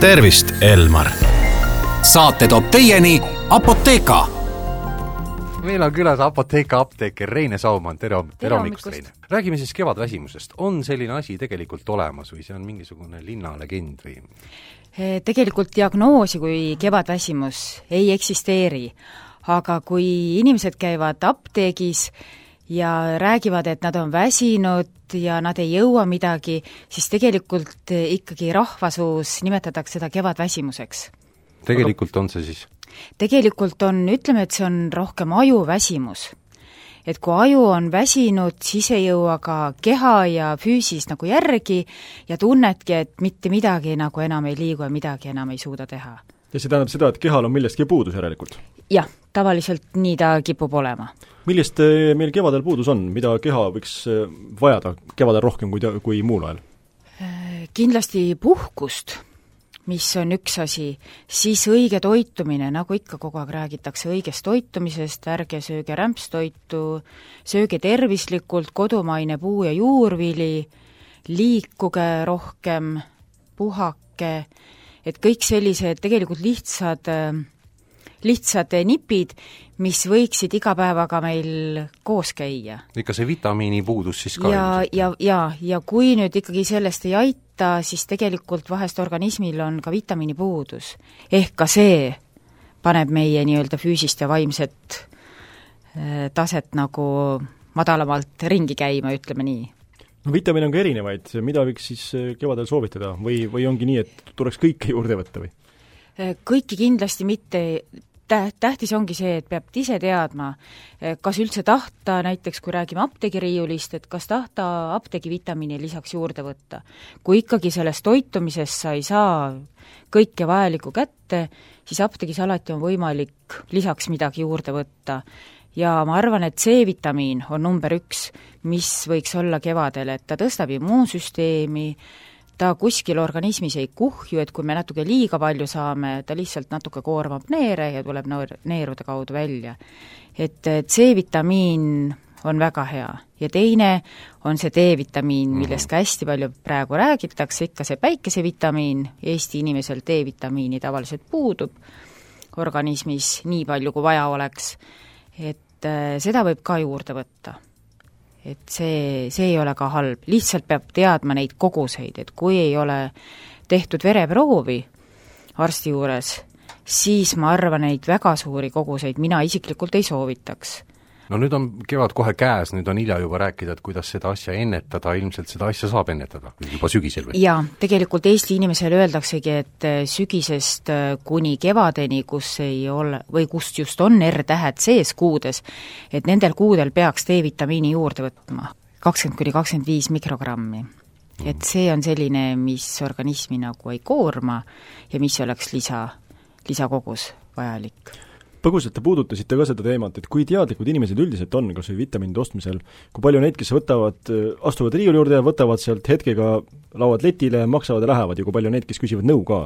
tervist, Elmar! Saate toob teieni Apotheka. Meil on külas Apotheka apteeker Reine Saumann. Tere hommikust, Reine! Räägime siis kevadväsimusest. On selline asi tegelikult olemas või see on mingisugune linnalegend või? Tegelikult diagnoosi kui kevadväsimus ei eksisteeri, aga kui inimesed käivad apteegis ja räägivad, et nad on väsinud ja nad ei jõua midagi, siis tegelikult ikkagi rahvasuus nimetatakse seda kevadväsimuseks. Tegelikult on see siis? Tegelikult on, ütleme, et see on rohkem ajuväsimus. Et kui aju on väsinud, siis ei jõua ka keha ja füüsis nagu järgi ja tunnedki, et mitte midagi nagu enam ei liigu ja midagi enam ei suuda teha. Ja see tähendab seda, et kehal on millestki puudus järelikult? Jah, tavaliselt nii ta kipub olema. Millest meil kevadel puudus on? Mida keha võiks vajada kevadel rohkem kui muul ajal? Kindlasti puhkust, mis on üks asi, siis õige toitumine, nagu ikka kogu aeg räägitakse õigest toitumisest, ärge sööge rämpstoitu, sööge tervislikult, kodumaine puu- ja juurvili, liikuge rohkem, puhake, et kõik sellised tegelikult lihtsad nipid, mis võiksid iga päevaga meil koos käia. Ikka see vitamiini puudus siis ka? Ja kui nüüd ikkagi sellest ei aita, siis tegelikult vahest organismil on ka vitamiini puudus. Ehk ka see paneb meie nii-öelda füüsist ja vaimset taset nagu madalamalt ringi käima, ütleme nii. No vitamiine on ka erinevaid, mida võiks siis kevadel soovitada või ongi nii, et tuleks kõike juurde võtta või? Kõiki kindlasti mitte. Tähtis ongi see, et peab ise teadma, kas üldse tahta, näiteks kui räägime apteegiriiulist, et kas tahta apteegivitamiini lisaks juurde võtta. Kui ikkagi sellest toitumisest sa ei saa kõike vajalikku kätte, siis apteegis alati on võimalik lisaks midagi juurde võtta. Ja ma arvan, et C-vitamiin on number 1, mis võiks olla kevadel, et ta tõstab immuunsüsteemi, ta kuskil organismis ei kuhju, et kui me natuke liiga palju saame, ta lihtsalt natuke koormab neere ja tuleb neerude kaudu välja. Et C-vitamiin on väga hea. Ja teine on see D-vitamiin, millest ka hästi palju praegu räägitakse, ikka see päikesevitamiin, Eesti inimesel D-vitamiini tavaliselt puudub organismis nii palju, kui vaja oleks, et seda võib ka juurde võtta. Et see ei ole ka halb, lihtsalt peab teadma neid koguseid, et kui ei ole tehtud vereproovi arsti juures, siis ma arvan, neid väga suuri koguseid mina isiklikult ei soovitaks. No nüüd on kevad kohe käes, nüüd on hilja juba rääkida, et kuidas seda asja ennetada, ilmselt seda asja saab ennetada juba sügisel või? Jaa, tegelikult Eesti inimesele öeldaksegi, et sügisest kuni kevadeni, kus ei ole, või kust just on R-tähed sees kuudes, et nendel kuudel peaks D-vitamiini juurde võtma 20–25 mikrogrammi. Et see on selline, mis organismi nagu ei koorma ja mis oleks lisakogus vajalik. Põgusalt te puudutasite ka seda teemat, et kui teadlikud inimesed üldiselt on, kas või vitamiinide ostmisel, kui palju neid, kes astuvad riiuli juurde ja võtavad sealt hetkega, lauad letile, maksavad ja lähevad ja kui palju neid, kes küsivad nõu ka?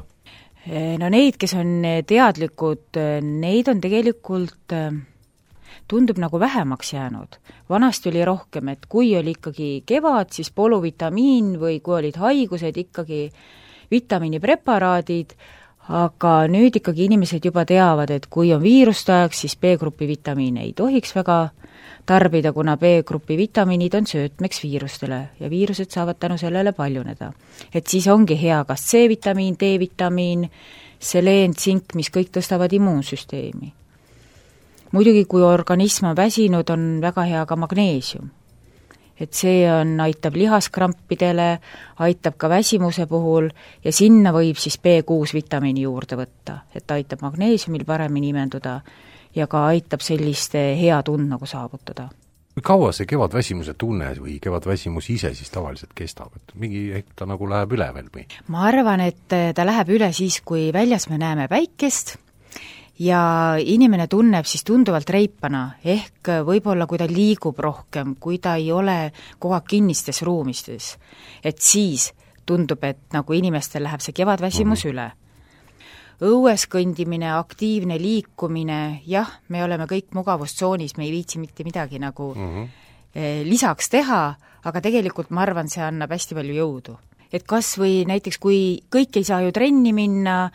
No neid, kes on teadlikud, neid on tegelikult, tundub nagu vähemaks jäänud. Vanasti oli rohkem, et kui oli ikkagi kevad, siis poluvitamiin või kui olid haigused, ikkagi vitamiinipreparaadid, aga nüüd ikkagi inimesed juba teavad, et kui on viirustaeg, siis B-grupi vitamiine ei tohiks väga tarbida, kuna B-grupi vitamiinid on söötmeks viirustele ja viirused saavad tänu sellele paljuneda. Et siis ongi hea kas C-vitamiin, D-vitamiin, seleen, tsink, mis kõik tõstavad immuunsüsteemi. Muidugi, kui organism on väsinud, on väga hea ka magneesium. Et see aitab lihaskrampidele, aitab ka väsimuse puhul ja sinna võib siis B6 vitamiini juurde võtta, et aitab magneesiumil paremini imenduda ja ka aitab selliste hea tund nagu saavutada. Kui kaua see kevadväsimuse tunne või kevadväsimus ise siis tavaliselt kestab? Et mingi hetk ta nagu läheb üle veel või? Ma arvan, et ta läheb üle siis, kui väljas me näeme päikest, ja inimene tunneb siis tunduvalt reipana, ehk võib-olla kui ta liigub rohkem, kui ta ei ole kogu aeg kinnistes ruumistes, et siis tundub, et nagu inimestel läheb see kevadväsimus üle. Õues kõndimine, aktiivne liikumine, jah, me oleme kõik mugavustsoonis, me ei viitsi mitte midagi nagu lisaks teha, aga tegelikult ma arvan, see annab hästi palju jõudu. et kas või näiteks, kui kõik ei saa ju trenni minna,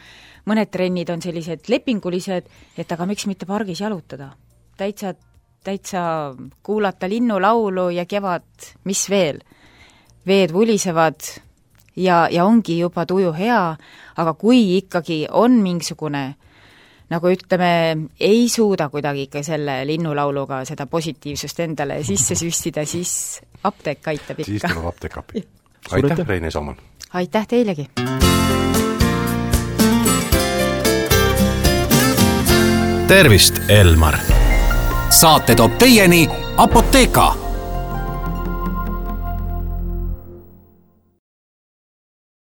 mõned trennid on sellised lepingulised, et aga miks mitte pargis jalutada. Täitsa kuulata linnulaulu ja kevad, mis veel. Veed vulisevad ja ongi juba tuju hea, aga kui ikkagi on mingisugune, nagu ütleme, ei suuda kuidagi ikka selle linnulauluga seda positiivsust endale sisse süstida, siis apteek aitab ikka. Siis tuleb apteek appi. Aitäh, Reine Saumann! Aitäh teilegi! Tervist, Elmar! Saate toob teieni Apotheka!